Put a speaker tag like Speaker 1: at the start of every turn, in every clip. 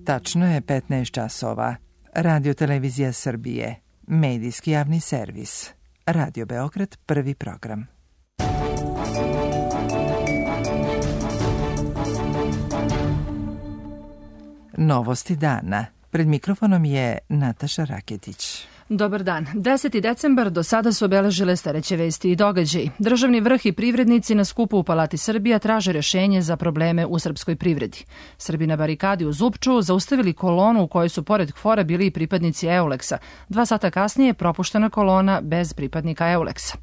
Speaker 1: Tačno je 15 časova. Radio Televizija Srbije. Medijski javni servis. Radio Beograd, prvi program. Novosti dana. Pred mikrofonom je Nataša Raketić.
Speaker 2: Dobar dan. 10. decembar do sada su obeležile sledeće vesti i događaji. Državni vrh i privrednici na skupu u Palati Srbija traže rešenje za probleme u srpskoj privredi. Srbi na barikadi u Zupču zaustavili kolonu u kojoj su pored KFOR-a bili i pripadnici Euleksa. 2 sata kasnije propuštena kolona bez pripadnika Euleksa.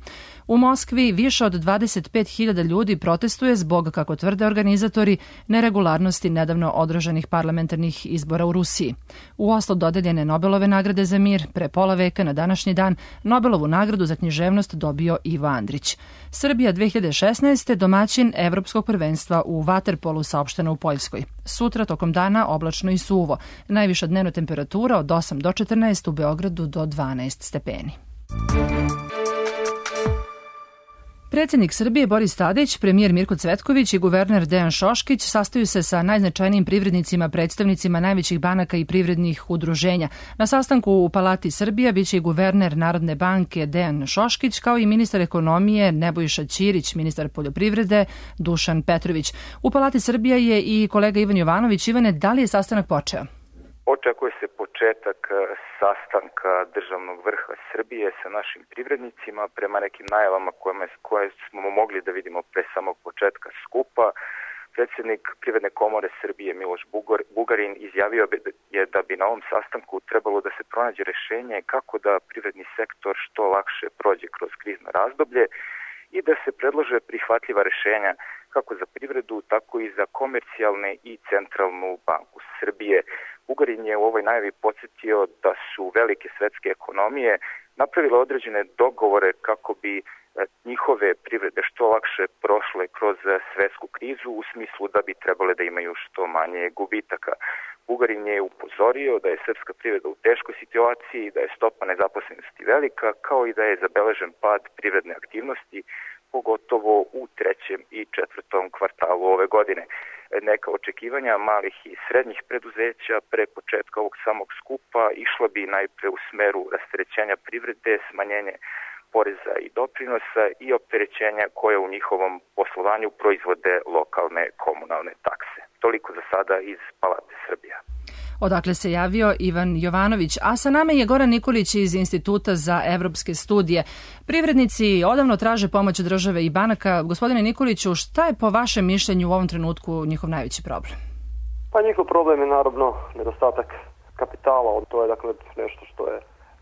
Speaker 2: U Moskvi više od 25.000 ljudi protestuje zbog, kako tvrde organizatori, neregularnosti nedavno održanih parlamentarnih izbora u Rusiji. U Oslu dodeljene Nobelove nagrade za mir. Pre pola veka na današnji dan Nobelovu nagradu za književnost dobio Ivo Andrić. Srbija 2016. domaćin Evropskog prvenstva u vaterpolu, saopšteno u Poljskoj. Sutra tokom dana oblačno i suvo. Najviša dnevna temperatura od 8 do 14, u Beogradu do 12 stepeni. Predsjednik Srbije Boris Tadić, premijer Mirko Cvetković i guverner Dejan Šoškić sastaju se sa najznačajnijim privrednicima, predstavnicima najvećih banaka i privrednih udruženja. Na sastanku u Palati Srbija biće i guverner Narodne banke Dejan Šoškić, kao i ministar ekonomije Nebojša Ćirić, ministar poljoprivrede Dušan Petrović. U Palati Srbija je i kolega Ivan Jovanović. Ivane, da li je sastanak počeo?
Speaker 3: Očekuje se početak sastanka državnog vrha Srbije sa našim privrednicima prema nekim najavama koje smo mogli da vidimo pre samog početka skupa. Predsjednik Privredne komore Srbije Miloš Bugarin izjavio je da bi na ovom sastanku trebalo da se pronađe rešenje kako da privredni sektor što lakše prođe kroz krizno razdoblje i da se predlože prihvatljiva rešenja kako za privredu, tako i za komercijalne i centralnu banku Srbije. Bugarin je u ovoj najavi podsjetio da su velike svetske ekonomije napravile određene dogovore kako bi njihove privrede što lakše prošle kroz svetsku krizu, u smislu da bi trebale da imaju što manje gubitaka. Bugarin je upozorio da je srpska privreda u teškoj situaciji, da je stopa nezaposlenosti velika, kao i da je zabeležen pad privredne aktivnosti, pogotovo u 3. i 4. kvartalu ove godine. Neka očekivanja malih i srednjih preduzeća pre početka ovog samog skupa išla bi najpre u smeru rasterećenja privrede, smanjenje poreza i doprinosa i opterećenja koje u njihovom poslovanju proizvode lokalne komunalne takse. Toliko za sada iz Palate Srbija.
Speaker 2: Odakle se javio Ivan Jovanović, a sa nama je Goran Nikolić iz Instituta za evropske studije. Privrednici odavno traže pomoć države i banaka. Gospodine Nikoliću, šta je po vašem mišljenju u ovom trenutku njihov najveći problem?
Speaker 4: Pa njihov problem je naravno nedostatak kapitala. To je dakle nešto što je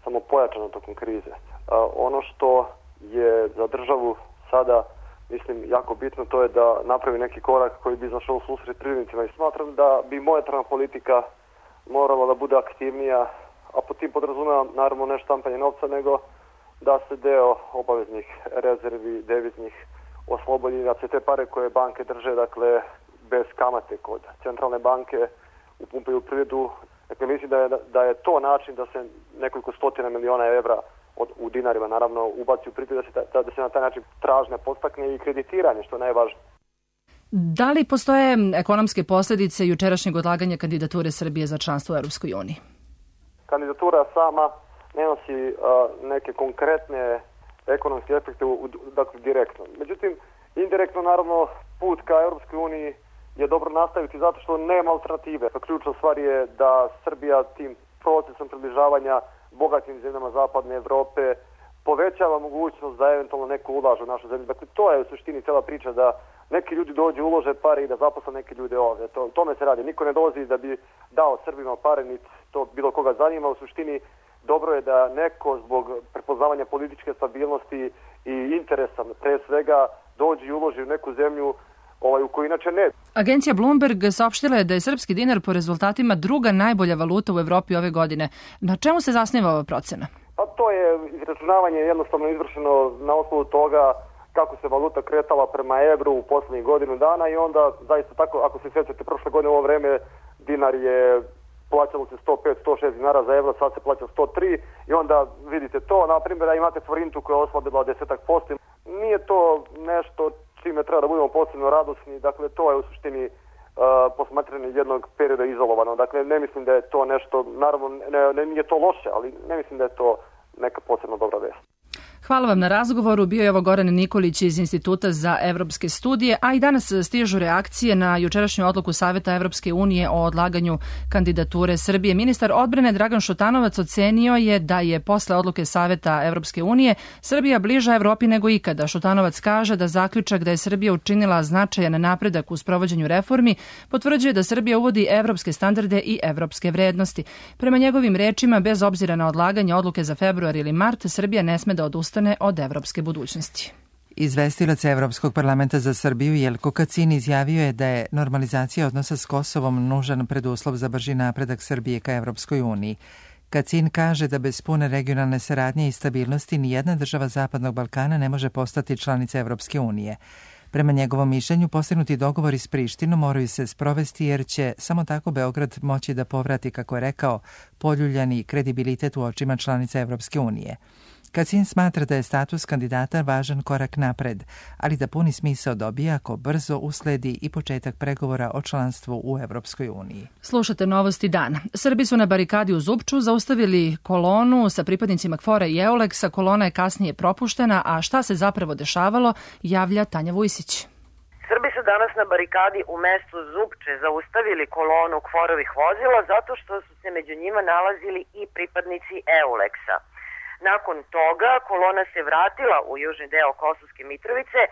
Speaker 4: samo pojačano tokom krize. Ono što je za državu sada, mislim, jako bitno, to je da napravi neki korak koji bi izašao u susret privrednicima i smatram da bi monetarna politika morala da bude aktivnija, a po tim podrazumeva naravno ne štampanje novca, nego da se deo obaveznih rezervi deviznih oslobodi, da se te pare koje banke drže, dakle, bez kamate kod centralne banke upumpaju u privredu. Dakle, mislim da je to način da se nekoliko stotina miliona evra u dinarima naravno ubaci u privredu, da se na taj način tražnja podstakne i kreditiranje, što je najvažnije.
Speaker 2: Da li postoje ekonomske posljedice jučerašnjeg odlaganja kandidature Srbije za članstvo u Europskoj uniji?
Speaker 4: Kandidatura sama ne nosi neke konkretne ekonomske efekte, dakle direktno. Međutim, indirektno naravno put ka Europskoj uniji je dobro nastaviti zato što nema alternative. Ključna stvar je da Srbija tim procesom približavanja bogatim zemljama zapadne Evrope povećava mogućnost da eventualno neko ulaže u našu zemlju. Dakle, to je u suštini cijela priča, da neki ljudi dođu, ulože pare i da zaposle neke ljude ovdje. Tome se radi. Niko ne dolazi da bi dao Srbima pare, niti to bilo koga zanima. U suštini dobro je da neko zbog prepoznavanja političke stabilnosti i interesa pre svega dođe i uloži u neku zemlju u kojoj inače ne.
Speaker 2: Agencija Bloomberg saopštila je da je srpski dinar po rezultatima druga najbolja valuta u Evropi ove godine. Na čemu se zasniva ova procena?
Speaker 4: Pa to je izračunavanje jednostavno izvršeno na osnovu toga kako se valuta kretala prema evru u poslednjih godinu dana i onda zaista tako, ako se sjećate, prošle godine u ovo vreme dinar je plaćalo se 105-106 dinara za evro, sad se plaća 103 i onda vidite to, na primjer da imate forintu koja je oslabila 10%. Nije to nešto čime treba da budemo posebno radosni, dakle to je u suštini posmatranje jednog perioda izolovano. Dakle, ne mislim da je to nešto, naravno, nije to loše, ali ne mislim da je to neka posebno dobra vest.
Speaker 2: Hvala vam na razgovoru. Bio je ovo Goran Nikolić iz Instituta za evropske studije, a i danas stižu reakcije na jučerašnju odluku Saveta Evropske unije o odlaganju kandidature Srbije. Ministar odbrane Dragan Šutanovac ocenio je da je posle odluke Saveta Evropske unije Srbija bliža Evropi nego ikada. Šutanovac kaže da zaključak da je Srbija učinila značajan napredak u sprovođenju reformi potvrđuje da Srbija uvodi evropske standarde i evropske vrednosti. Prema njegovim rečima, bez obzira na odlaganje odluke za februar ili mart, Srbija ne sme da odustane od evropske budućnosti.
Speaker 1: Izvestilac Evropskog parlamenta za Srbiju Jelko Kacin izjavio je da je normalizacija odnosa s Kosovom nužan preduslov za brži napredak Srbije ka Evropskoj uniji. Kacin kaže da bez pune regionalne saradnje i stabilnosti nijedna država Zapadnog Balkana ne može postati članica Evropske unije. Prema njegovom mišljenju, postignuti dogovori s Prištinom moraju se sprovesti jer će samo tako Beograd moći da povrati, kako je rekao, poljuljani kredibilitet u očima članica Evropske unije. Kacin smatra da je status kandidata važan korak napred, ali da puni smisao dobija ako brzo usledi i početak pregovora o članstvu u Evropskoj uniji.
Speaker 2: Slušate novosti dana. Srbi su na barikadi u Zupču zaustavili kolonu sa pripadnicima KFOR-a i EULEX-a. Kolona je kasnije propuštena, a šta se zapravo dešavalo, javlja Tanja Vujsić.
Speaker 5: Srbi su danas na barikadi u mestu Zupče zaustavili kolonu KFOR-ovih vozila zato što su se među njima nalazili i pripadnici EULEX-a. Nakon toga kolona se vratila u južni deo Kosovske Mitrovice,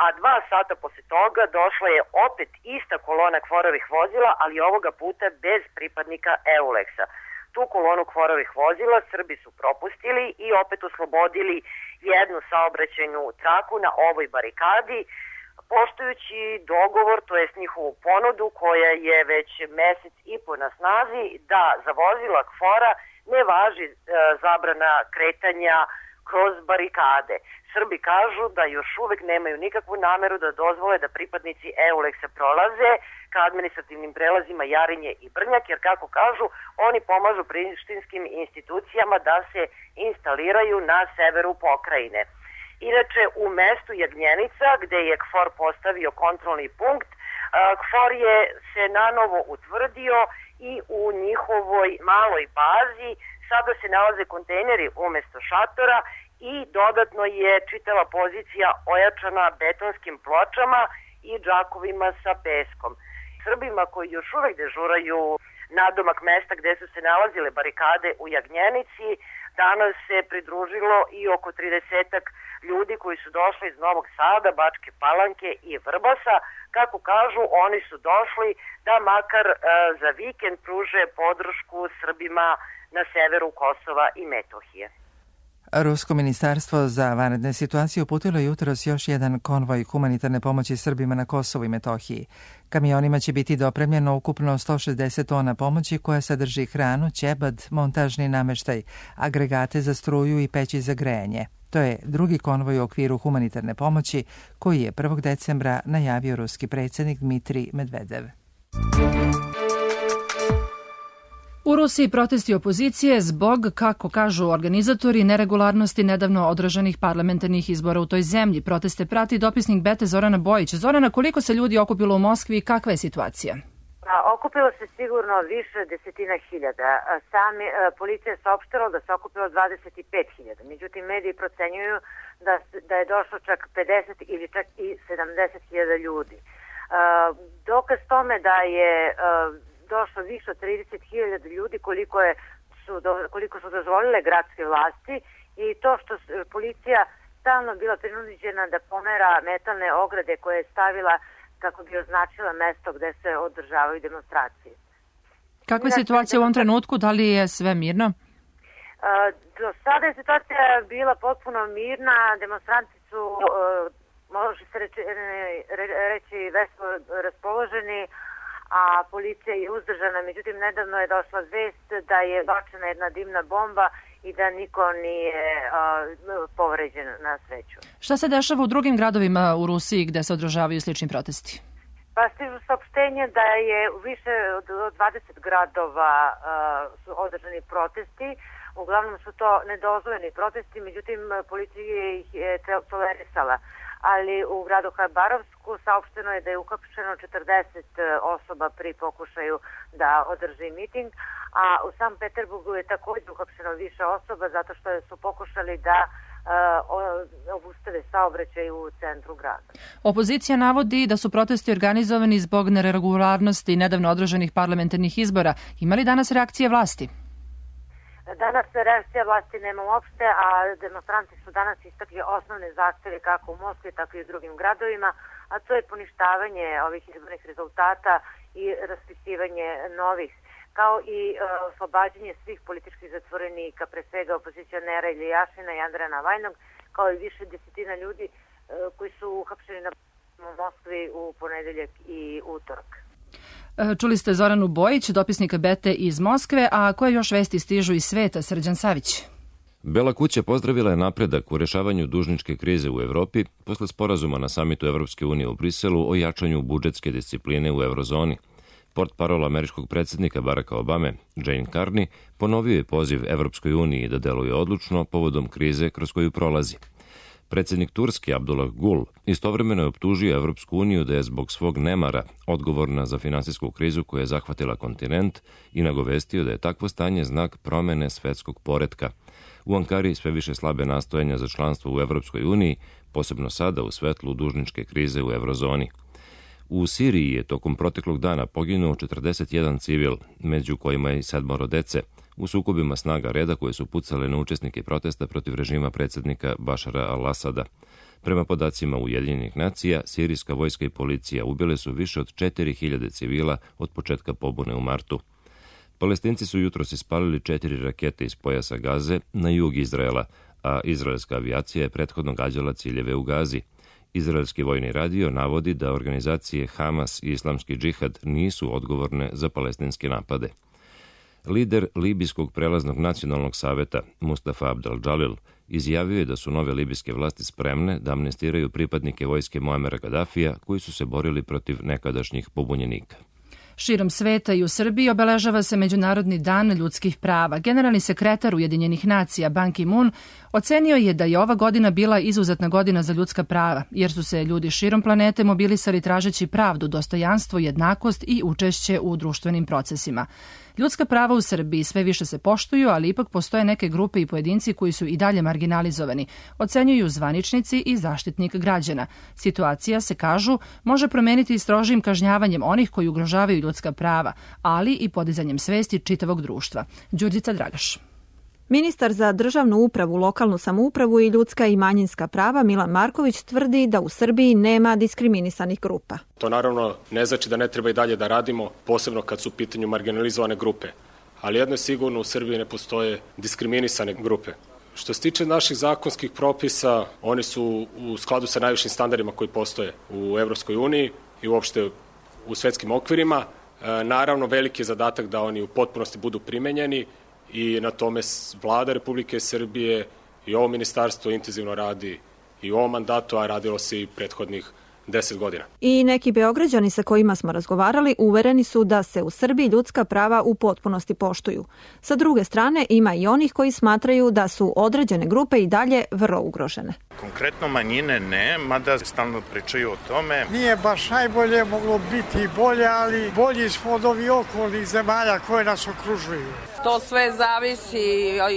Speaker 5: a 2 sata posle toga došla je opet ista kolona KFOR-ovih vozila, ali ovoga puta bez pripadnika EULEX-a. Tu kolonu KFOR-ovih vozila Srbi su propustili i opet oslobodili jednu saobraćajnu traku na ovoj barikadi, poštujući dogovor, to jest njihovu ponudu koja je već mesec i po na snazi, da za vozila KFOR-a ne važi zabrana kretanja kroz barikade. Srbi kažu da još uvek nemaju nikakvu nameru da dozvole da pripadnici EULEX-a prolaze ka administrativnim prelazima Jarinje i Brnjak, jer kako kažu, oni pomažu prištinskim institucijama da se instaliraju na severu pokrajine. Inače, u mestu Jagnjenica, gde je KFOR postavio kontrolni punkt, KFOR je se nanovo utvrdio i u njihovoj maloj bazi sada se nalaze kontejneri umesto šatora i dodatno je čitava pozicija ojačana betonskim pločama i džakovima sa peskom. Srbima koji još uvek dežuraju nadomak mesta gde su se nalazile barikade u Jagnjenici, danas se pridružilo i oko 30 ljudi koji su došli iz Novog Sada, Bačke Palanke i Vrbasa. Kako kažu, oni su došli da makar za vikend pruže podršku Srbima na severu Kosova i Metohije.
Speaker 1: Rusko ministarstvo za vanredne situacije uputilo jutros još jedan konvoj humanitarne pomoći Srbima na Kosovu i Metohiji. Kamionima će biti dopremljeno ukupno 160 tona pomoći koja sadrži hranu, ćebad, montažni nameštaj, agregate za struju i peći za grejanje. To je drugi konvoj u okviru humanitarne pomoći koji je 1. decembra najavio ruski predsjednik Dmitrij Medvedev.
Speaker 2: U Rusiji protesti opozicije zbog, kako kažu organizatori, neregularnosti nedavno održanih parlamentarnih izbora u toj zemlji. Proteste prati dopisnik Bete Zorana Bojić. Zorana, koliko se ljudi okupilo u Moskvi i kakva je situacija?
Speaker 6: Okupilo se sigurno više desetina hiljada. Policija je saopštila da se okupilo 25.000. Međutim, mediji procenjuju da je došlo čak 50 ili čak i 70.000 ljudi. Dokaz tome da je došlo više od 30.000 ljudi koliko su dozvolile gradske vlasti i to što policija stalno bila prinuđena da pomera metalne ograde koje je stavila kako bi označila mesto gde se održavaju demonstracije.
Speaker 2: Kakva je situacija u ovom trenutku? Da li je sve mirno?
Speaker 6: Do sada je situacija bila potpuno mirna. Demonstranti su, može se reći, veselo raspoloženi, a policija je uzdržana. Međutim, nedavno je došla vest da je bačena jedna dimna bomba i da niko nije povređen na sreću.
Speaker 2: Šta se dešava u drugim gradovima u Rusiji gde se održavaju slični protesti?
Speaker 6: Pa stižu saopštenje da je u više od 20 gradova su održani protesti. Uglavnom su to nedozvoljeni protesti, međutim policija ih je tolerisala. ali u gradu Habarovsku saopšteno je da je uhapšeno 40 osoba pri pokušaju da održi miting, a u San Peterburgu je također uhapšeno više osoba zato što su pokušali da obustave saobraćaj u centru grada.
Speaker 2: Opozicija navodi da su protesti organizovani zbog neregularnosti nedavno održanih parlamentarnih izbora. Ima li danas reakcije vlasti?
Speaker 6: Danas reakcija vlasti nema uopšte, a demonstranti su danas istakli osnovne zahteve kako u Moskvi, tako i u drugim gradovima, a to je poništavanje ovih izbornih rezultata i raspisivanje novih, kao i oslobađanje svih političkih zatvorenika, pre svega opozicionera Iljašina i Andreja Navajnog, kao i više desetina ljudi koji su uhapšeni u Moskvi u ponedeljak i utorak.
Speaker 2: Čuli ste Zoranu Bojić, dopisnika Bete iz Moskve, a koje još vesti stižu iz sveta? Srđan Savić.
Speaker 7: Bela kuća pozdravila je napredak u rešavanju dužničke krize u Evropi posle sporazuma na samitu Evropske unije u Briselu o jačanju budžetske discipline u eurozoni. Portparol američkog predsjednika Baracka Obame, Jane Carney, ponovio je poziv Evropskoj uniji da deluje odlučno povodom krize kroz koju prolazi. Predsjednik Turske Abdullah Gül istovremeno je optužio Evropsku uniju da je zbog svog nemara odgovorna za finansijsku krizu koja je zahvatila kontinent i nagovestio da je takvo stanje znak promene svetskog poretka. U Ankari sve više slabe nastojanja za članstvo u Evropskoj uniji, posebno sada u svetlu dužničke krize u eurozoni. U Siriji je tokom proteklog dana poginuo 41 civil, među kojima i 7 dece, u sukobima snaga reda koje su pucale na učesnike protesta protiv režima predsjednika Bašara al-Asada. Prema podacima Ujedinjenih nacija, sirijska vojska i policija ubile su više od 4000 civila od početka pobune u martu. Palestinci su jutros ispalili 4 rakete iz pojasa Gaze na jug Izraela, a izraelska avijacija je prethodno gađala ciljeve u Gazi. Izraelski vojni radio navodi da organizacije Hamas i Islamski džihad nisu odgovorne za palestinske napade. Lider Libijskog prelaznog nacionalnog saveta Mustafa Abdel Džalil izjavio je da su nove libijske vlasti spremne da amnestiraju pripadnike vojske Muamera Gadafija koji su se borili protiv nekadašnjih pobunjenika.
Speaker 2: Širom sveta i u Srbiji obeležava se Međunarodni dan ljudskih prava. Generalni sekretar Ujedinjenih nacija Ban Ki-moon ocenio je da je ova godina bila izuzetna godina za ljudska prava, jer su se ljudi širom planete mobilisali tražeći pravdu, dostojanstvo, jednakost i učešće u društvenim procesima. Ljudska prava u Srbiji sve više se poštuju, ali ipak postoje neke grupe i pojedinci koji su i dalje marginalizovani, ocenjuju zvaničnici i Zaštitnik građana. Situacija, se kažu, može promeniti strožim kažnjavanjem onih koji ugrožavaju ljudska prava, ali i podizanjem svesti čitavog društva. Đurđica Dragaš.
Speaker 8: Ministar za državnu upravu, lokalnu samoupravu i ljudska i manjinska prava Milan Marković tvrdi da u Srbiji nema diskriminisanih grupa.
Speaker 9: To naravno ne znači da ne treba i dalje da radimo, posebno kad su u pitanju marginalizovane grupe. Ali jedno je sigurno, u Srbiji ne postoje diskriminisane grupe. Što se tiče naših zakonskih propisa, oni su u skladu sa najvišim standardima koji postoje u Evropskoj uniji i uopšte u svetskim okvirima. Naravno, veliki je zadatak da oni u potpunosti budu primenjeni i na tome vlada Republike Srbije i ovo ministarstvo intenzivno radi i u ovom mandatu, a radilo se i prethodnih 10 godina.
Speaker 8: I neki Beograđani sa kojima smo razgovarali uvereni su da se u Srbiji ljudska prava u potpunosti poštuju. Sa druge strane, ima i onih koji smatraju da su određene grupe i dalje vrlo ugrožene.
Speaker 10: Konkretno manjine ne, mada stalno pričaju o tome.
Speaker 11: Nije baš najbolje, moglo biti i bolje, ali bolji smo od ovih okolnih zemalja koje nas okružuju.
Speaker 12: To sve zavisi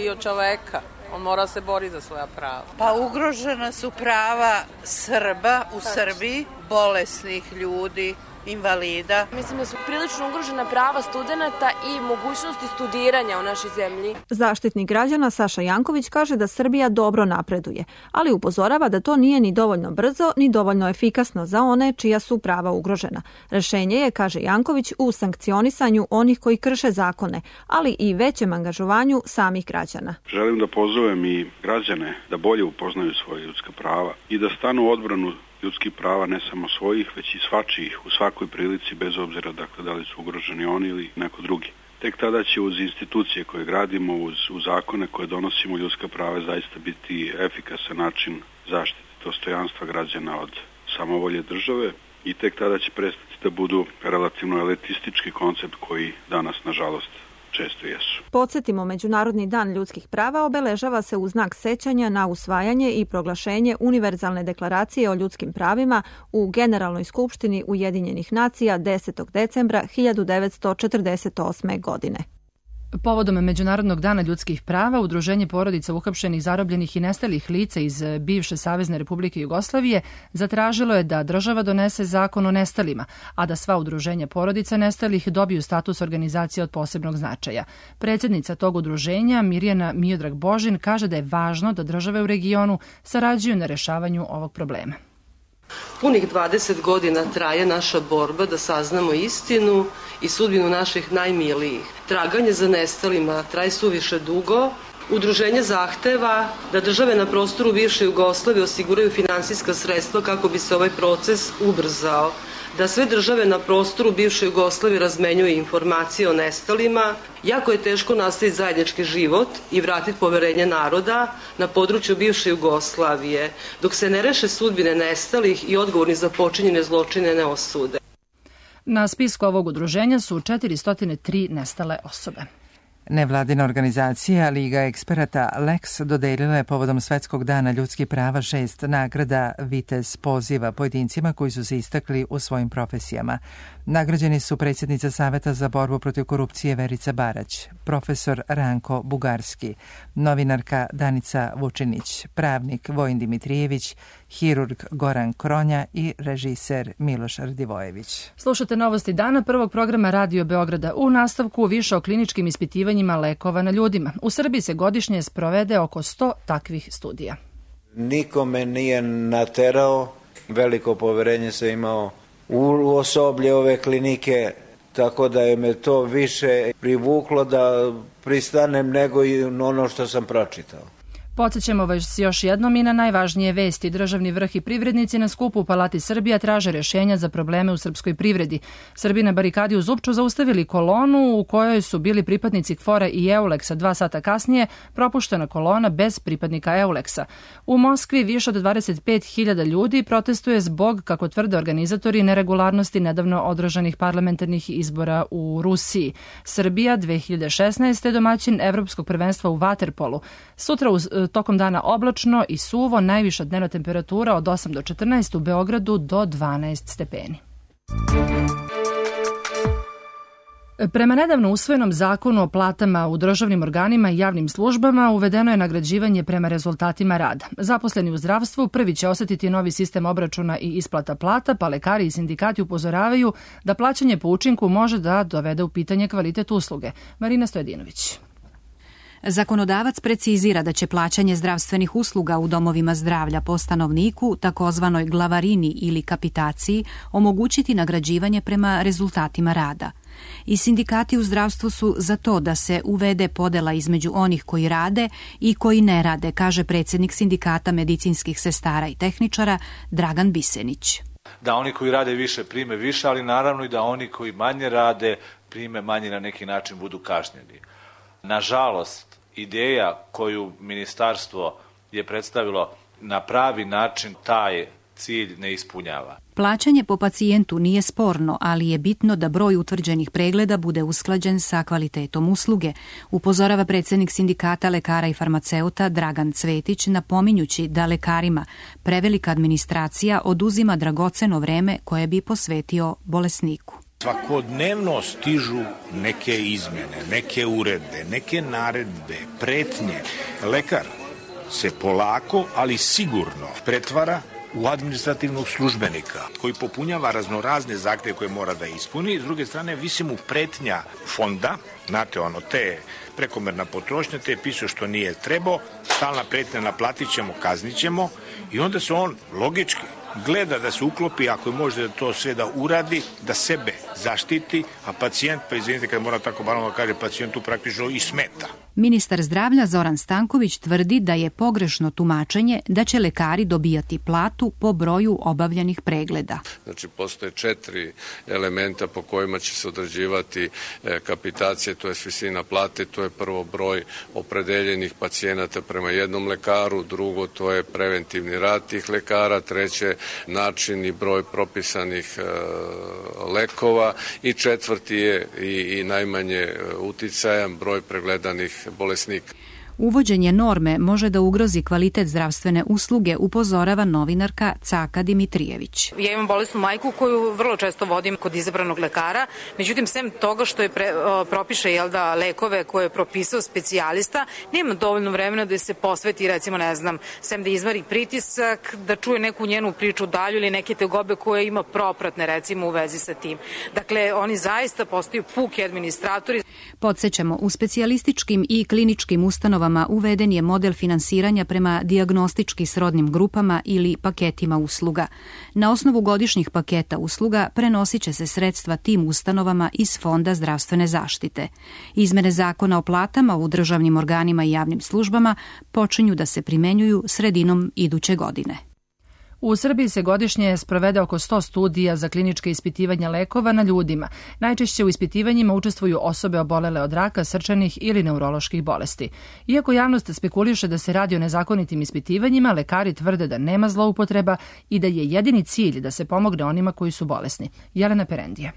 Speaker 12: i od čoveka. On mora se bori za svoja prava.
Speaker 13: Pa ugrožena su prava Srba u Srbiji, bolesnih ljudi, invalida.
Speaker 14: Mislim da su prilično ugrožena prava studenata i mogućnosti studiranja u našoj zemlji.
Speaker 8: Zaštitnik građana Saša Janković kaže da Srbija dobro napreduje, ali upozorava da to nije ni dovoljno brzo, ni dovoljno efikasno za one čija su prava ugrožena. Rešenje je, kaže Janković, u sankcionisanju onih koji krše zakone, ali i većem angažovanju samih građana.
Speaker 15: Želim da pozovem i građane da bolje upoznaju svoje ljudska prava i da stanu u odbranu ljudskih prava, ne samo svojih, već i svačijih u svakoj prilici, bez obzira dakle, da li su ugroženi oni ili neko drugi. Tek tada će uz institucije koje gradimo, uz zakone koje donosimo, ljudska prava zaista biti efikasan način zaštite dostojanstva građana od samovolje države i tek tada će prestati da budu relativno elitistički koncept koji danas, nažalost, često jesu.
Speaker 8: Podsjetimo, Međunarodni dan ljudskih prava obeležava se u znak sećanja na usvajanje i proglašenje Univerzalne deklaracije o ljudskim pravima u Generalnoj skupštini Ujedinjenih nacija 10. decembra 1948. godine.
Speaker 2: Povodom Međunarodnog dana ljudskih prava, Udruženje porodica uhapšenih, zarobljenih i nestalih lica iz bivše Savezne Republike Jugoslavije zatražilo je da država donese zakon o nestalima, a da sva udruženja porodica nestalih dobiju status organizacije od posebnog značaja. Predsjednica tog udruženja, Mirjana Miodrag Božin, kaže da je važno da države u regionu sarađuju na rešavanju ovog problema.
Speaker 16: Punih 20 godina traje naša borba da saznamo istinu i sudbinu naših najmilijih. Traganje za nestalima traje suviše dugo. Udruženje zahteva da države na prostoru bivše Jugoslavije osiguraju finansijska sredstva kako bi se ovaj proces ubrzao, da sve države na prostoru bivše Jugoslavije razmenjuju informacije o nestalima. Jako je teško nastaviti zajednički život i vratiti poverenje naroda na području bivše Jugoslavije, dok se ne reše sudbine nestalih i odgovorni za počinjene zločine ne osude.
Speaker 2: Na spisku ovog udruženja su 403 nestale osobe.
Speaker 1: Nevladina organizacija Liga eksperata Lex dodelila je povodom Svetskog dana ljudskih prava 6 nagrada Vitez poziva pojedincima koji su se istakli u svojim profesijama. Nagrađeni su predsjednica Saveta za borbu protiv korupcije Verica Barać, profesor Ranko Bugarski, novinarka Danica Vučinić, pravnik Vojin Dimitrijević, hirurg Goran Kronja i režiser Miloš Radivojević.
Speaker 2: Slušate novosti dana prvog programa Radio Beograda. U nastavku više o kliničkim ispitivanjima lekova na ljudima. U Srbiji se godišnje sprovede oko 100 takvih studija.
Speaker 17: Nikome nije naterao, veliko poverenje sam imao u osoblje ove klinike, tako da je me to više privuklo da pristanem nego i ono što sam pročitao.
Speaker 2: Podsjećamo vas još jednom i na najvažnije vesti. Državni vrh i privrednici na skupu u Palati Srbija traže rješenja za probleme u srpskoj privredi. Srbi na barikadi u Zupču zaustavili kolonu u kojoj su bili pripadnici KFOR-a i EULEX-a. 2 sata kasnije propuštena kolona bez pripadnika EULEX-a. U Moskvi više od 25.000 ljudi protestuje zbog, kako tvrde organizatori, neregularnosti nedavno održanih parlamentarnih izbora u Rusiji. Srbija 2016. je domaćin Evropskog prvenstva u vaterpolu. Sutra tokom dana oblačno i suvo, najviša dnevna temperatura od 8 do 14, u Beogradu do 12 stepeni. Prema nedavno usvojenom zakonu o platama u državnim organima i javnim službama uvedeno je nagrađivanje prema rezultatima rada. Zaposleni u zdravstvu prvi će osjetiti novi sistem obračuna i isplata plata, pa lekari i sindikati upozoravaju da plaćanje po učinku može da dovede u pitanje kvalitet usluge. Marina Stojedinović.
Speaker 18: Zakonodavac precizira da će plaćanje zdravstvenih usluga u domovima zdravlja po stanovniku, takozvanoj glavarini ili kapitaciji, omogućiti nagrađivanje prema rezultatima rada. I sindikati u zdravstvu su za to da se uvede podela između onih koji rade i koji ne rade, kaže predsjednik Sindikata medicinskih sestara i tehničara Dragan Bisenić.
Speaker 19: Da oni koji rade više prime više, ali naravno i da oni koji manje rade prime manje, na neki način budu kažnjeni. Nažalost, ideja koju ministarstvo je predstavilo na pravi način taj cilj ne ispunjava.
Speaker 18: Plaćanje po pacijentu nije sporno, ali je bitno da broj utvrđenih pregleda bude usklađen sa kvalitetom usluge, upozorava predsjednik Sindikata lekara i farmaceuta Dragan Cvetić, napominjući da lekarima prevelika administracija oduzima dragoceno vreme koje bi posvetio bolesniku.
Speaker 20: Svakodnevno stižu neke izmjene, neke uredbe, neke naredbe, pretnje. Lekar se polako, ali sigurno pretvara u administrativnog službenika koji popunjava raznorazne zahtjeve koje mora da ispuni. S druge strane, visi mu pretnja fonda, znate ono, te prekomerna potrošnja, te piše što nije trebao, stalna pretnja naplatit ćemo, kaznit ćemo i onda se on logički gleda da se uklopi, ako je može da to sve da uradi, da sebe zaštiti, a pacijent, pa izvinite kad mora tako banalno kaže, pacijentu praktično i smeta.
Speaker 18: Ministar zdravlja Zoran Stanković tvrdi da je pogrešno tumačenje da će lekari dobijati platu po broju obavljenih pregleda.
Speaker 21: Znači, postoje 4 elementa po kojima će se određivati kapitacije, to je visina plate, to je prvo broj opredeljenih pacijenata prema jednom lekaru, drugo to je preventivni rad tih lekara, treće način i broj propisanih lekova i četvrti je i najmanje uticajan broj pregledanih bolesnika.
Speaker 18: Uvođenje norme može da ugrozi kvalitet zdravstvene usluge, upozorava novinarka Caka Dimitrijević.
Speaker 22: Ja imam bolesnu majku koju vrlo često vodim kod izabranog lekara, međutim, sem toga što je propiše lekove koje je propisao specijalista, nema dovoljno vremena da se posveti, recimo, ne znam, sem da izmari pritisak, da čuje neku njenu priču dalju ili neke tegobe koje ima propratne, recimo, u vezi sa tim. Dakle, oni zaista postaju puki administratori.
Speaker 18: Podsjećamo, u specijalističkim i kliničkim ustanovama uveden je model finansiranja prema dijagnostički srodnim grupama ili paketima usluga. Na osnovu godišnjih paketa usluga prenosit će se sredstva tim ustanovama iz Fonda zdravstvene zaštite. Izmene zakona o platama u državnim organima i javnim službama počinju da se primenjuju sredinom iduće godine.
Speaker 2: U Srbiji se godišnje sprovede oko 100 studija za kliničke ispitivanja lekova na ljudima. Najčešće u ispitivanjima učestvuju osobe obolele od raka, srčanih ili neuroloških bolesti. Iako javnost spekuliše da se radi o nezakonitim ispitivanjima, lekari tvrde da nema zloupotreba i da je jedini cilj da se pomogne onima koji su bolesni. Jelena Perendija.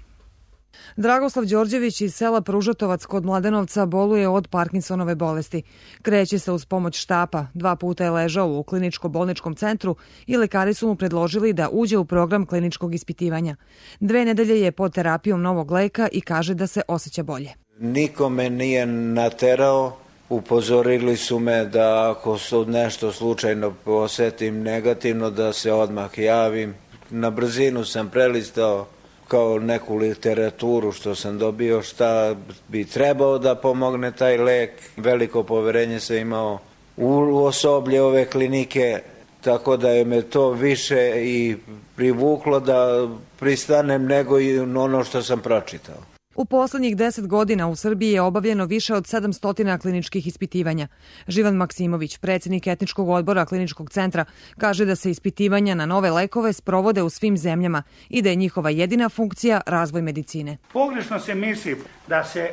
Speaker 23: Dragoslav Đorđević iz sela Pružatovac kod Mladenovca boluje od Parkinsonove bolesti. Kreće se uz pomoć štapa. 2 puta je ležao u kliničko-bolničkom centru i lekari su mu predložili da uđe u program kliničkog ispitivanja. 2 nedelje je pod terapijom novog leka i kaže da se osjeća bolje.
Speaker 17: Niko me nije naterao. Upozorili su me da ako se nešto slučajno osjetim negativno da se odmah javim. Na brzinu sam prelistao kao neku literaturu što sam dobio, šta bi trebao da pomogne taj lek. Veliko poverenje sam imao u osoblje ove klinike, tako da je me to više i privuklo da pristanem nego i ono što sam pročitao.
Speaker 23: U poslednjih 10 godina u Srbiji je obavljeno više od 700 kliničkih ispitivanja. Živan Maksimović, predsjednik etničkog odbora kliničkog centra, kaže da se ispitivanja na nove lekove sprovode u svim zemljama i da je njihova jedina funkcija razvoj medicine.
Speaker 24: Pogrešno se misli da se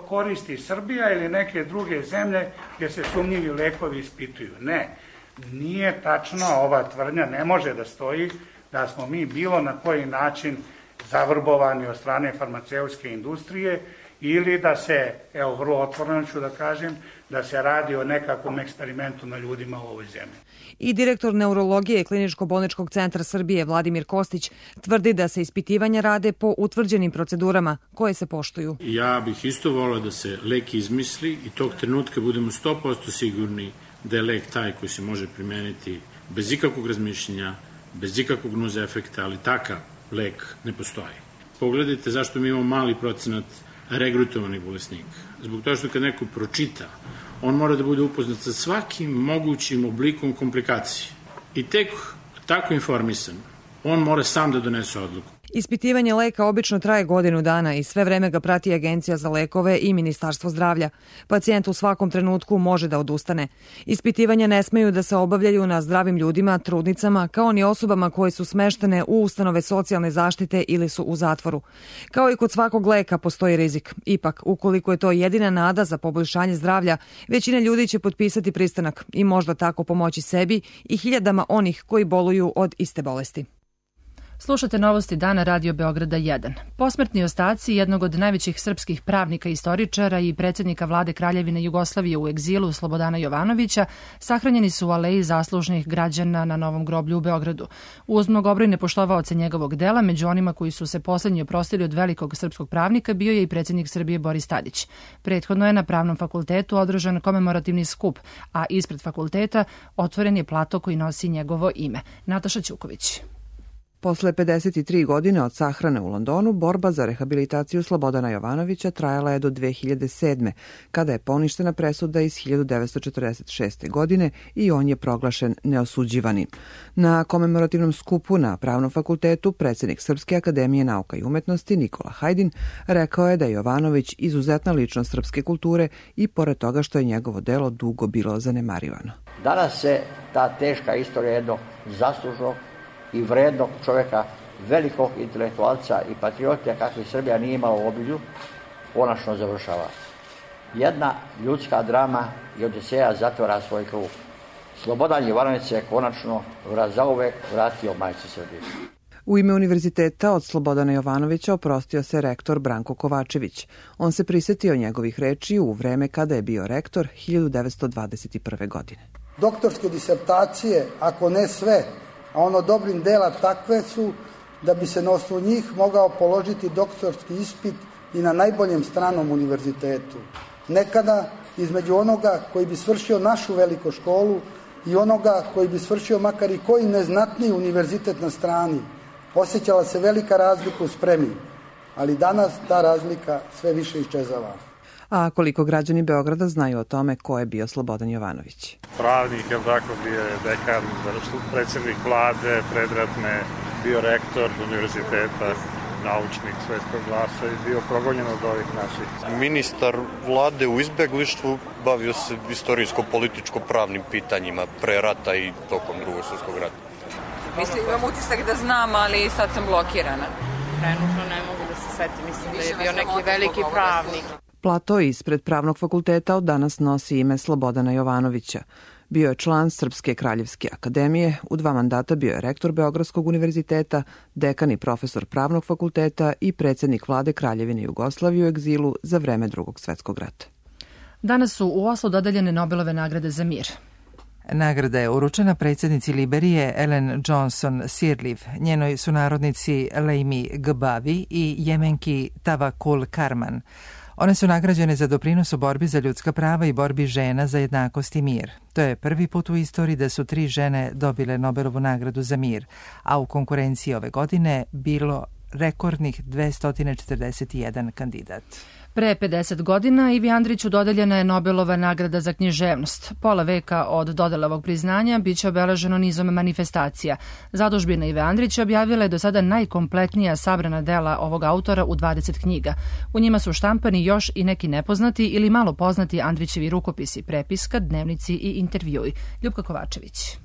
Speaker 24: koristi Srbija ili neke druge zemlje gdje se sumnjivi lekovi ispituju. Ne, nije tačno, ova tvrdnja ne može da stoji da smo mi bilo na koji način zavrbovani od strane farmaceutske industrije ili da se, vrlo otvoreno ću da kažem, da se radi o nekakvom eksperimentu na ljudima u ovoj zemlji.
Speaker 23: I direktor neurologije Kliničko-bolničkog centra Srbije Vladimir Kostić tvrdi da se ispitivanja rade po utvrđenim procedurama koje se poštuju.
Speaker 25: Ja bih isto volio da se lek izmisli i tog trenutka budemo 100% sigurni da je lek taj koji se može primeniti bez ikakvog razmišljenja, bez ikakvog nuzefekta, ali takav lek ne postoji. Pogledajte zašto mi imamo mali procenat regrutovanih bolesnika. Zbog toga što kad neko pročita, on mora da bude upoznat sa svakim mogućim oblikom komplikacije. I tek tako informisan, on mora sam da donese odluku.
Speaker 23: Ispitivanje leka obično traje godinu dana i sve vreme ga prati Agencija za lekove i Ministarstvo zdravlja. Pacijent u svakom trenutku može da odustane. Ispitivanja ne smeju da se obavljaju na zdravim ljudima, trudnicama, kao ni osobama koje su smeštene u ustanove socijalne zaštite ili su u zatvoru. Kao i kod svakog leka postoji rizik. Ipak, ukoliko je to jedina nada za poboljšanje zdravlja, većina ljudi će potpisati pristanak i možda tako pomoći sebi i hiljadama onih koji boluju od iste bolesti.
Speaker 2: Slušate novosti dana Radio Beograda 1. Posmrtni ostaci jednog od najvećih srpskih pravnika i istoričara i predsjednika vlade Kraljevine Jugoslavije u egzilu Slobodana Jovanovića sahranjeni su u aleji zaslužnih građana na Novom groblju u Beogradu. Uz mnogobrojne poštovaoce njegovog dela, među onima koji su se poslednji oprostili od velikog srpskog pravnika bio je i predsjednik Srbije Boris Tadić. Prethodno je na Pravnom fakultetu održan komemorativni skup, a ispred fakulteta otvoren je plato koji nosi njegovo ime. Nataša Ćuković.
Speaker 23: Posle 53 godine od sahrane u Londonu, borba za rehabilitaciju Slobodana Jovanovića trajala je do 2007. kada je poništena presuda iz 1946. godine i on je proglašen neosuđivani. Na komemorativnom skupu na Pravnom fakultetu predsjednik Srpske akademije nauka i umetnosti Nikola Hajdin rekao je da je Jovanović izuzetna ličnost srpske kulture i pored toga što je njegovo delo dugo bilo zanemarivano.
Speaker 3: Danas se ta teška istorija jednog zaslužnog i vrednog čovjeka, velikog intelektualca i patriotija kakvi Srbija nije imala u obilju, konačno završava. Jedna ljudska drama i Odiseja zatvara svoj krug. Slobodan Jovanović se konačno zauvek vratio majci Srbije.
Speaker 23: U ime univerziteta od Slobodana Jovanovića oprostio se rektor Branko Kovačević. On se prisjetio njegovih reči u vreme kada je bio rektor 1921. godine.
Speaker 4: Doktorske disertacije, ako ne sve, a ono dobrim dela takve su da bi se na osnovu njih mogao položiti doktorski ispit i na najboljem stranom univerzitetu. Nekada između onoga koji bi svršio našu veliku školu i onoga koji bi svršio makar i koji neznatniji univerzitet na strani, osjećala se velika razlika u spremi, ali danas ta razlika sve više iščezava.
Speaker 23: A koliko građani Beograda znaju o tome ko je bio Slobodan Jovanović?
Speaker 5: Pravnik, je tako, bio je dekan, predsjednik vlade, predratne, bio rektor univerziteta, naučnik svetskog glasa i bio progonjen od ovih naših.
Speaker 6: Ministar vlade u izbeglištvu, bavio se istorijsko-političko-pravnim pitanjima pre rata i tokom Drugog svjetskog rata.
Speaker 12: Mislim, imam utisak da znam, ali sad sam blokirana.
Speaker 7: Trenutno ne mogu da se setim, mislim da je bio neki veliki pravnik.
Speaker 23: Plato ispred Pravnog fakulteta od danas nosi ime Slobodana Jovanovića. Bio je član Srpske kraljevske akademije, u 2 mandata bio je rektor Beogradskog univerziteta, dekan i profesor Pravnog fakulteta i predsjednik vlade Kraljevine Jugoslavije u egzilu za vreme Drugog svjetskog rata.
Speaker 2: Danas su u Oslu dodeljene Nobelove nagrade za mir.
Speaker 1: Nagrada je uručena predsjednici Liberije Ellen Johnson Sirleaf, njenoj sunarodnici Leimi Gbavi i Jemenki Tawakul Karman. One su nagrađene za doprinos u borbi za ljudska prava i borbi žena za jednakost i mir. To je prvi put u istoriji da su 3 žene dobile Nobelovu nagradu za mir, a u konkurenciji ove godine bilo rekordnih 241 kandidat.
Speaker 2: Pre 50 godina Ivi Andriću dodeljena je Nobelova nagrada za književnost. Pola veka od dodele ovog priznanja biće obeleženo nizom manifestacija. Zadužbina Ive Andrića objavila je do sada najkompletnija sabrana dela ovog autora u 20 knjiga. U njima su štampani još i neki nepoznati ili malo poznati Andrićevi rukopisi, prepiska, dnevnici i intervjui. Ljupka Kovačević.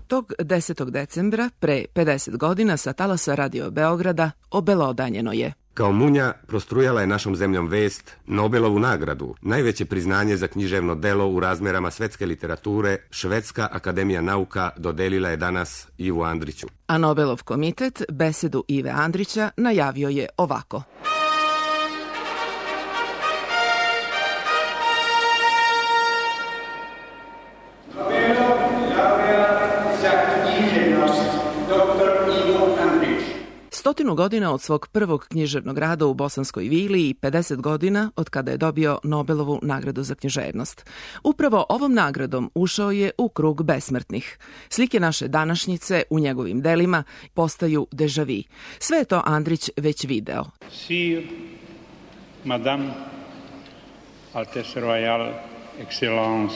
Speaker 26: Tog 10. decembra, pre 50 godina, sa talasa Radio Beograda obelodanjeno je.
Speaker 27: Kao munja prostrujala je našom zemljom vest Nobelovu nagradu, najveće priznanje za književno delo u razmerama svetske literature, Švedska akademija nauka dodelila je danas Ivu Andriću.
Speaker 26: A Nobelov komitet besedu Ive Andrića najavio je ovako. Stotinu godina od svog prvog književnog rada u Bosanskoj Vili i 50 godina od kada je dobio Nobelovu nagradu za književnost. Upravo ovom nagradom ušao je u krug besmrtnih. Slike naše današnjice u njegovim delima postaju deja vu. Sve je to Andrić već video.
Speaker 5: Sir, madame, Altesse Royale, Excellence,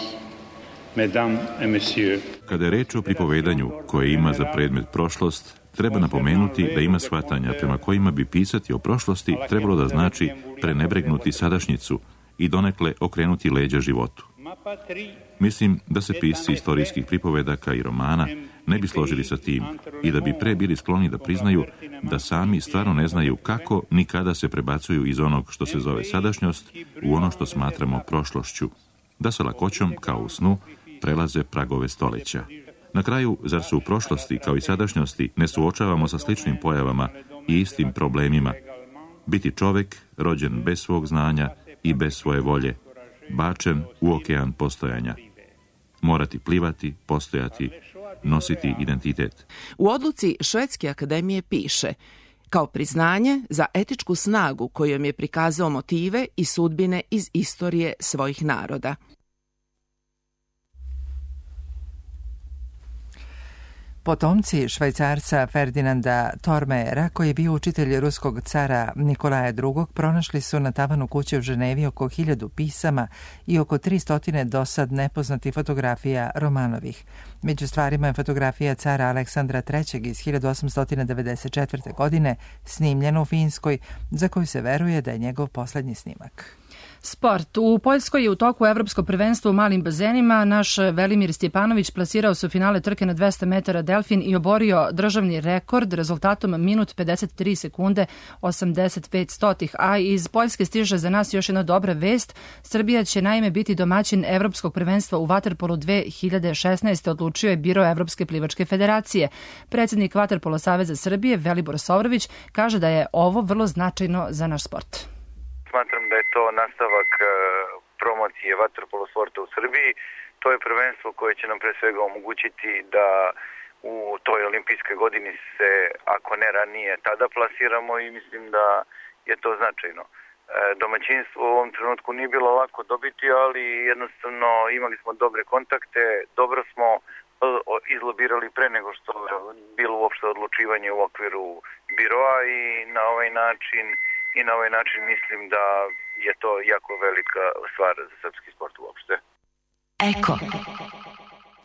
Speaker 5: mesdames et messieurs.
Speaker 28: Kada je reč o pripovedanju koje ima za predmet prošlost, treba napomenuti da ima shvatanja prema kojima bi pisati o prošlosti trebalo da znači prenebregnuti sadašnjicu i donekle okrenuti leđa životu. Mislim da se pisci istorijskih pripovedaka i romana ne bi složili sa tim i da bi pre bili skloni da priznaju da sami stvarno ne znaju kako ni kada se prebacuju iz onog što se zove sadašnjost u ono što smatramo prošlošću, da sa lakoćom, kao u snu, prelaze pragove stoljeća. Na kraju, zar se u prošlosti, kao i sadašnjosti, ne suočavamo sa sličnim pojavama i istim problemima? Biti čovek, rođen bez svog znanja i bez svoje volje, bačen u okean postojanja. Morati plivati, postojati, nositi identitet.
Speaker 26: U odluci Švedske akademije piše: kao priznanje za etičku snagu kojom je prikazao motive i sudbine iz istorije svojih naroda.
Speaker 1: Potomci švajcarca Ferdinanda Thormeyera, koji je bio učitelj ruskog cara Nikolaja II, pronašli su na tavanu kuće u Ženevi oko 1000 pisama i oko 300 dosad nepoznatih fotografija Romanovih. Među stvarima je fotografija cara Aleksandra III iz 1894. godine, snimljena u Finskoj, za koju se veruje da je njegov poslednji snimak.
Speaker 2: Sport. U Poljskoj je u toku Evropsko prvenstvo u malim bazenima. Naš Velimir Stjepanović plasirao se u finale trke na 200 metara delfin i oborio državni rekord rezultatom minut 53 sekunde 85 stotih. A iz Poljske stiže za nas još jedna dobra vest. Srbija će naime biti domaćin Evropskog prvenstva u vaterpolu 2016. odlučio je Biro Evropske plivačke federacije. Predsjednik Vaterpolo saveza Srbije Velibor Sovrović kaže da je ovo vrlo značajno za naš sport.
Speaker 8: Smatram da je to nastavak promocije vaterpolo sporta u Srbiji. To je prvenstvo koje će nam pre svega omogućiti da u toj olimpijskoj godini se, ako ne ranije, tada plasiramo i mislim da je to značajno. Domaćinstvo u ovom trenutku nije bilo lako dobiti, ali jednostavno imali smo dobre kontakte, dobro smo izlobirali pre nego što je bilo uopšte odlučivanje u okviru biroa i na ovaj način mislim da je to jako velika stvar za srpski sport uopšte.
Speaker 9: Eko.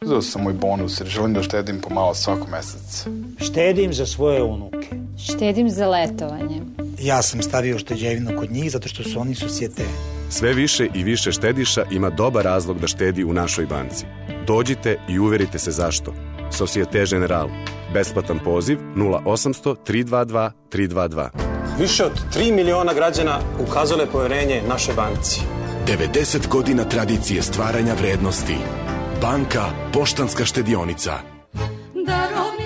Speaker 10: Uzeo sam moj bonus jer želim da štedim pomalo svako mesec.
Speaker 11: Štedim za svoje unuke.
Speaker 13: Štedim za letovanje.
Speaker 11: Ja sam stavio šteđevinu kod njih zato što su oni susjete.
Speaker 14: Sve više i više štediša ima dobar razlog da štedi u našoj banci. Dođite i uverite se zašto. Societe Generale. Besplatan poziv 0800 322 322.
Speaker 15: Više od 3 miliona građana ukazalo je poverenje našoj banci.
Speaker 16: 90 godina tradicije stvaranja vrednosti. Banka Poštanska štedionica.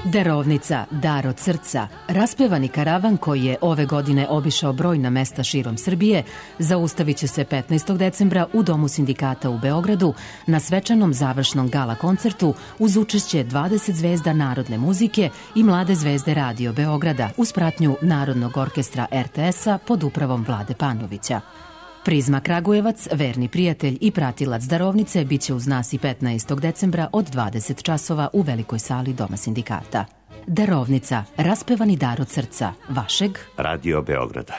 Speaker 29: Darovnica, dar od srca, raspevani karavan koji je ove godine obišao brojna mesta širom Srbije, zaustavit će se 15. decembra u Domu sindikata u Beogradu na svečanom završnom gala koncertu uz učešće 20 zvezda narodne muzike i mlade zvezde Radio Beograda uz pratnju Narodnog orkestra RTS-a pod upravom Vlade Panovića. Prizma Kragujevac, verni prijatelj i pratilac darovnice, bit će uz nas i 15. decembra od 20 časova u velikoj sali Doma sindikata. Darovnica, raspevani dar od srca, vašeg
Speaker 30: Radio Beograda.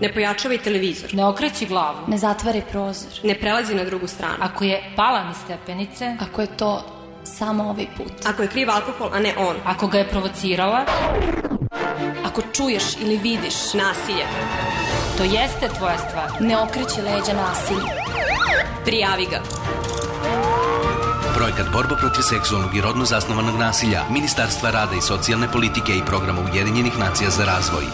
Speaker 31: Ne pojačavaj televizor.
Speaker 13: Ne okreći glavu.
Speaker 31: Ne zatvaraj prozor. Ne prelazi na drugu stranu.
Speaker 13: Ako je pala niz stepenice.
Speaker 31: Ako je to samo ovaj put. Ako je kriv alkohol, a ne on.
Speaker 13: Ako ga je provocirala.
Speaker 31: Ako čuješ ili vidiš nasilje.
Speaker 13: To jeste tvoja stvar.
Speaker 31: Ne okreći leđa nasilju. Prijavi ga.
Speaker 32: Projekat Borba protiv seksualnog i rodno zasnovanog nasilja Ministarstva rada i socijalne politike i Programa Ujedinjenih nacija za razvoj.